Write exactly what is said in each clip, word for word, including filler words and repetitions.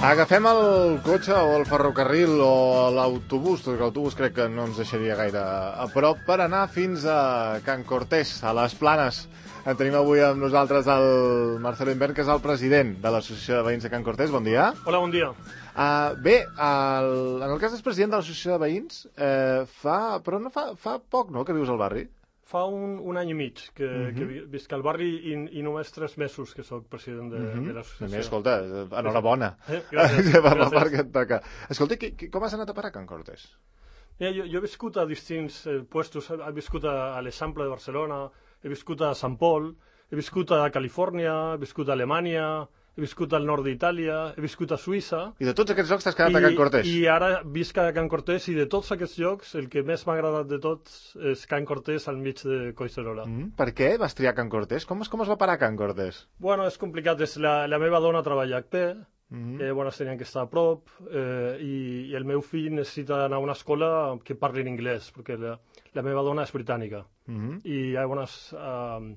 Agafem el cotxe o el ferrocarril o l'autobús, tot que l'autobús crec que no ens deixaria gaire a prop, per anar fins a Can Cortés, a les Planes. En tenim avui amb nosaltres el Marcelo Invern, que és el president de l'Associació de Veïns de Can Cortés. Bon dia. Hola, bon dia. Uh, bé, el, en el cas és president de l'Associació de Veïns, eh, fa, però no fa, fa poc, no?, que vius al barri? Fa un, un any i mig que, uh -huh. que visc al barri i, i només tres mesos que sóc president de, uh -huh. de l'associació. A més, escolta, enhorabona. Eh, gràcies. per gràcies. part que et toca. Escolta, qui, qui, com has anat a parar a Can Cortés? Mira, jo, jo he viscut a distints eh, puestos. He viscut a, a l'Eixample de Barcelona, he viscut a Sant Pol, he viscut a Califòrnia, he viscut a Alemanya, he viscut al nord d'Itàlia, he viscut a Suïssa. I de tots aquests llocs t'has quedat I, a Can Cortés? I ara visc a Can Cortés, i de tots aquests llocs el que més m'ha agradat de tots és Can Cortés al mig de Collserola. Mm, per què vas triar Can Cortés? Com es, com es va parar Can Cortés? Bueno, és complicat. És la, la meva dona treballa a H P, Mm. eh, bueno, tenien que estar a prop, eh, i, i el meu fill necessita anar a una escola que parli en anglès, perquè la, la meva dona és britànica. Mm. I llavors eh,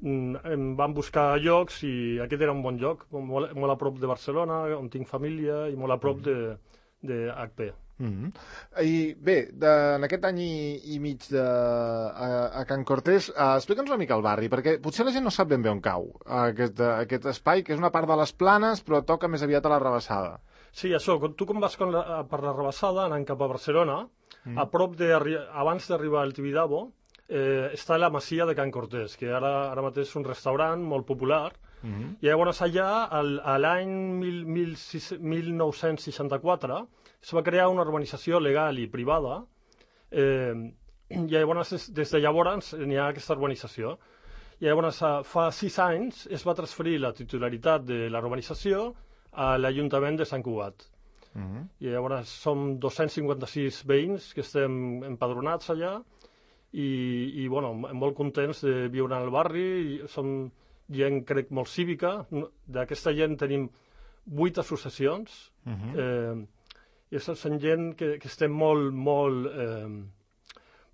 em van buscar llocs i aquest era un bon lloc, molt, molt a prop de Barcelona, on tinc família, i molt a prop de, de H P. Mm. I bé, de, en aquest any i, i mig de, a, a Can Cortés, uh, explica'ns una mica el barri, perquè potser la gent no sap ben bé on cau aquest, aquest espai, que és una part de les Planes, però toca més aviat a la Rebassada. Sí, això, tu com vas la, per la Rebassada, anant cap a Barcelona, mm. a prop de, abans d'arribar al Tibidabo, eh, està la Masia de Can Cortés, que ara, ara mateix és un restaurant molt popular. Mm-hmm. I llavors allà, al, a l'any mil nou-cents seixanta-quatre, es va crear una urbanització legal i privada, eh, i llavors, des de llavors n'hi ha aquesta urbanització. I llavors, fa sis anys, es va transferir la titularitat de la urbanització a l'Ajuntament de Sant Cugat. Mm-hmm. I llavors som dos-cents cinquanta-sis veïns que estem empadronats allà, i, i bueno, molt contents de viure al barri. Som gent, crec, molt cívica. D'aquesta gent tenim vuit associacions, mm-hmm. eh, i són gent que, que estem molt, molt, eh,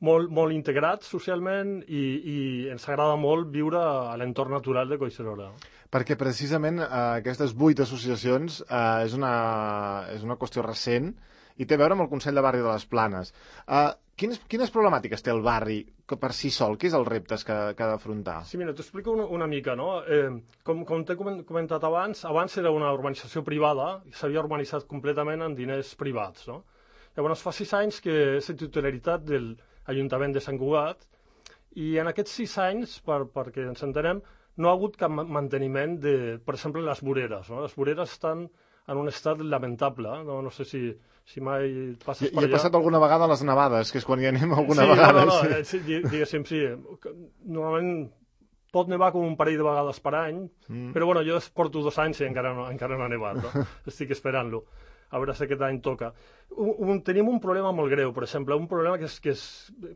molt, molt integrats socialment, i, i ens agrada molt viure a l'entorn natural de Collserola. Perquè precisament eh, aquestes vuit associacions eh, és, una, és una qüestió recent i té a veure amb el Consell de Barri de les Planes. Eh, quines, quines problemàtiques té el barri que per si sol? Què és els reptes que, que ha d'afrontar? Sí, mira, t'ho explico una, una mica, no? Eh, com com t'he comentat abans, abans era una urbanització privada i s'havia urbanitzat completament amb diners privats, no? Llavors fa sis anys que és la titularitat de l'Ajuntament de Sant Cugat, i en aquests sis anys, per, perquè ens entenem, no ha hagut cap manteniment de, per exemple, les voreres, no? Les voreres estan en un estat lamentable, no, no sé si, si mai passes I, per allà. I he passat alguna vegada a les nevades, que és quan hi anem alguna sí, vegada. No, no, sí. no, sí, diguéssim, sí. Normalment pot nevar com un parell de vegades per any, mm. però bueno, jo porto dos anys i encara no, encara no ha nevat, no? Estic esperant-lo. A veure si aquest any toca. Un, un, tenim un problema molt greu, per exemple, un problema que és, que és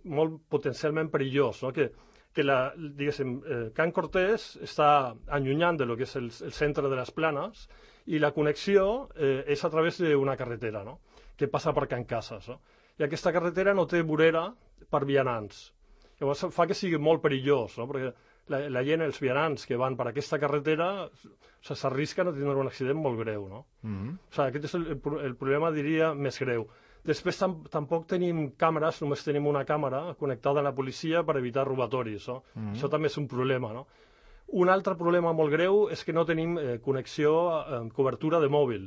molt potencialment perillós, no? que, que la, diguéssim, eh, Can Cortés està allunyant de lo que és el, el centre de les Planes, i la connexió eh, és a través d'una carretera, no? Que passa per Can Casas, no? I aquesta carretera no té vorera per vianants. Llavors fa que sigui molt perillós, no? Perquè la, la gent, els vianants que van per aquesta carretera, s'arrisquen a tindre un accident molt greu, no? Mm-hmm. O sigui, aquest és el, el, el problema, diria, més greu. Després tam, tampoc tenim càmeres, només tenim una càmera connectada a la policia per evitar robatoris, no? Mm-hmm. Això també és un problema, no? Un altre problema molt greu és que no tenim eh, connexió, eh, cobertura de mòbil.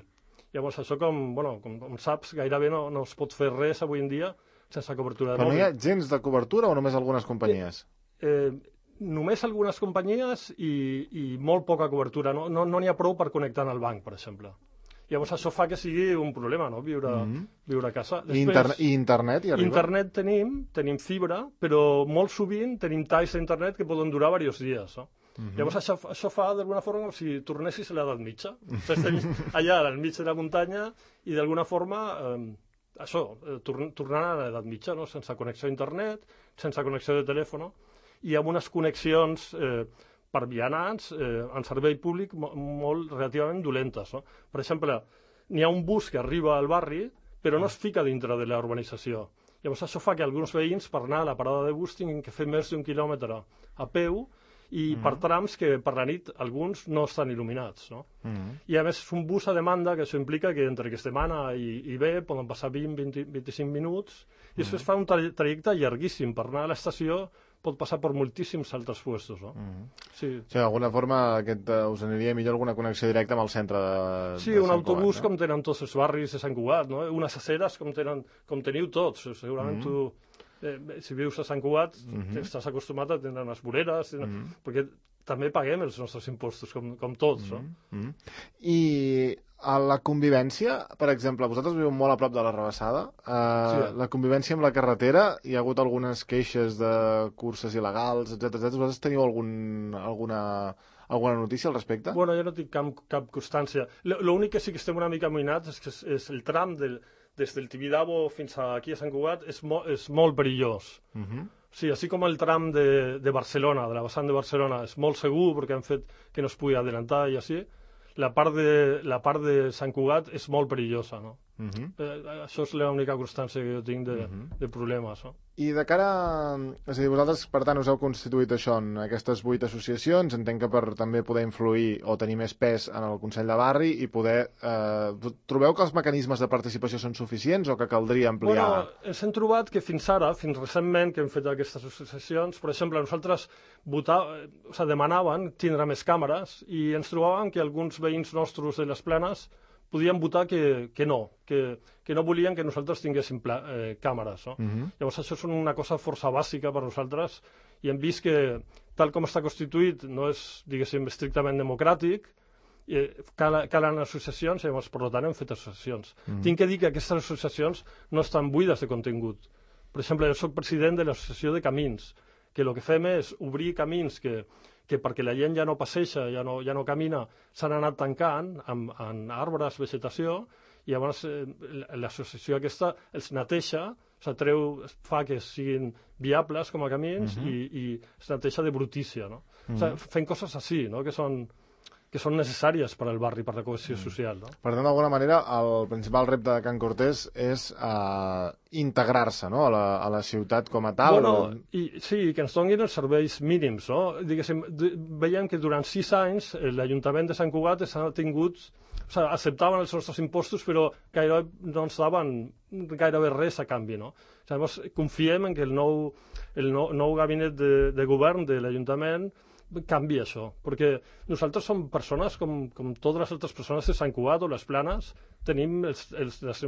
Llavors, això, com, bueno, com, com saps, gairebé no, no es pot fer res avui en dia sense cobertura de Però mòbil. Però no hi ha gens de cobertura o només algunes companyies? Eh, eh, només algunes companyies i, i molt poca cobertura. No n'hi no, no ha prou per connectar en el banc, per exemple. Llavors, això fa que sigui un problema, no?, viure, mm-hmm. viure a casa. Després, I, interne I internet hi arriba? Internet tenim, tenim fibra, però molt sovint tenim talls d'internet que poden durar diversos dies, no? Uh-huh. Llavors això, això fa d'alguna forma com si tornessis a l'edat mitja. Estem allà al mig de la muntanya i d'alguna forma eh, això, eh, torn, tornant a l'edat mitja, no? Sense connexió a internet, sense connexió de telèfon, i amb unes connexions eh, per vianants eh, en servei públic molt, molt relativament dolentes, no? Per exemple, n'hi ha un bus que arriba al barri però no es fica dintre de la urbanització. Llavors això fa que alguns veïns per anar a la parada de bus tinguin que fer més d'un quilòmetre a peu i mm. per trams que per la nit alguns no estan il·luminats, no? Mm. I a més és un bus a demanda, que això implica que entre que es demana i, i ve poden passar vint a vint-i-cinc minuts i després mm. fa un tra trajecte llarguíssim. Per anar a l'estació pot passar per moltíssims altres puestos, no? Mm. Sí. O sigui, d'alguna forma aquest, uh, us aniria millor alguna connexió directa amb el centre de, sí, de un Sant autobús Cugat, no? com tenen tots els barris de Sant Cugat, no? Unes aceres com, tenen, com teniu tots. Segurament mm. tu, eh, si vius a Sant Cugat, mm -hmm. estàs acostumat a tenir unes voreres, mm -hmm. perquè també paguem els nostres impostos, com, com tots, no? Mm -hmm. I a la convivència, per exemple, vosaltres viu molt a prop de la Rabassada, eh, sí. La convivència amb la carretera, hi ha hagut algunes queixes de curses il·legals, etcètera, etcètera. Vosaltres teniu algun, alguna, alguna notícia al respecte? Bueno, jo no tinc cap, cap constància. L'únic que sí que estem una mica amoïnats és que és, és el tram del, des del Tibidabo fins aquí a Sant Cugat és, mo, és molt perillós. Uh -huh. Sí, així com el tram de, de Barcelona, de la vessant de Barcelona, és molt segur perquè han fet que no es pugui adelantar i així, la part de, la part de Sant Cugat és molt perillosa, no? Uh -huh. eh, això és l'única constància que jo tinc de, uh -huh. de problemes, no? I de cara... A... És a dir, vosaltres, per tant, us heu constituït això en aquestes vuit associacions, entenc que per també poder influir o tenir més pes en el Consell de Barri i poder... Eh, trobeu que els mecanismes de participació són suficients o que caldria ampliar? Bueno, ens hem trobat que fins ara, fins recentment, que hem fet aquestes associacions, per exemple, nosaltres votar, o sigui, demanaven tindre més càmeres i ens trobàvem que alguns veïns nostres de les planes podien votar que, que no, que, que no volien que nosaltres tinguéssim pla, eh, càmeres, no? Uh-huh. Llavors això és una cosa força bàsica per nosaltres i hem vist que tal com està constituït no és, diguéssim, estrictament democràtic, eh, cal, calen associacions i llavors per tant hem fet associacions. Uh-huh. Tinc que dir que aquestes associacions no estan buides de contingut. Per exemple, jo soc president de l'associació de Camins, que el que fem és obrir camins que que perquè la gent ja no passeja, ja no, ja no camina, s'han anat tancant amb, amb arbres, vegetació, i llavors eh, l'associació aquesta els neteja, o sigui, treu, fa que siguin viables com a camins uh -huh. i, i es neteja de brutícia, no? Uh -huh. O sigui, fent coses així, no?, que són que són necessàries per al barri, per la cohesió mm. social, no? Per tant, d'alguna manera, el principal repte de Can Cortés és uh, integrar-se, no?, a la, a la ciutat com a tal. Bueno, o... i, sí, que ens donin els serveis mínims, no? Diguéssim, veiem que durant sis anys l'Ajuntament de Sant Cugat s'ha tingut, o sigui, acceptaven els nostres impostos, però gairebé no ens daven gairebé res a canvi, no? O sigui, llavors, confiem en que el nou, el nou, nou gabinet de, de govern de l'Ajuntament canvia això, perquè nosaltres som persones com, com totes les altres persones de Sant Cugat o les Planes, tenim els, els, les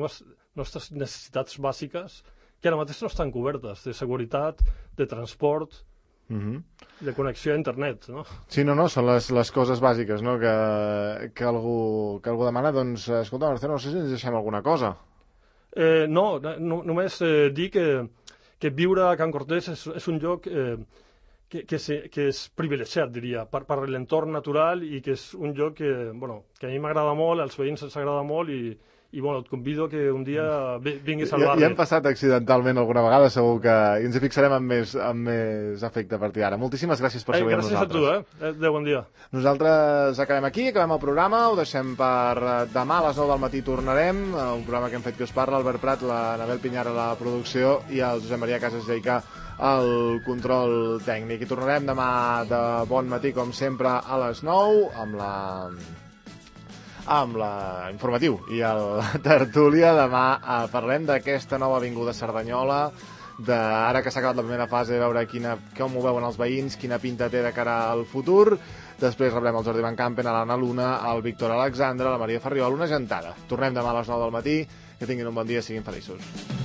nostres necessitats bàsiques que ara mateix no estan cobertes, de seguretat, de transport, mm-hmm. de connexió a internet, no? Sí, no, no, són les, les coses bàsiques, no?, que, que, algú, que algú demana, doncs, escolta, Marcelo, no sé si ens deixem alguna cosa. Eh, no, no, només eh, dir que, que viure a Can Cortés és, és un lloc... Eh, Que, que, se, que és privilegiat, diria, per, per l'entorn natural i que és un lloc que, bueno, que a mi m'agrada molt, als veïns els agrada molt i, i bueno, et convido que un dia vinguis al barri. Ja, ja hem passat accidentalment alguna vegada, segur que i ens hi fixarem amb més, amb més afecte a partir d'ara. Moltíssimes gràcies per ser avui amb nosaltres. Gràcies a tu, eh? Adéu, bon dia. Nosaltres acabem aquí, acabem el programa, ho deixem per demà a les nou del matí tornarem, un programa que hem fet que us parla, Albert Prat, la Anabel Pinyar a la producció i el Josep Maria Casas Jaicà el control tècnic. I tornarem demà de bon matí, com sempre, a les nou, amb la... amb la informatiu i el tertúlia. Demà eh, parlem d'aquesta nova avinguda Cerdanyola, de, ara que s'ha acabat la primera fase, de veure quina, com ho veuen els veïns, quina pinta té de cara al futur. Després rebrem el Jordi Van Campen, a l'Anna Luna, el Víctor Alexandre, la Maria Ferriol, una gentada. Tornem demà a les nou del matí. Que tinguin un bon dia, siguin feliços.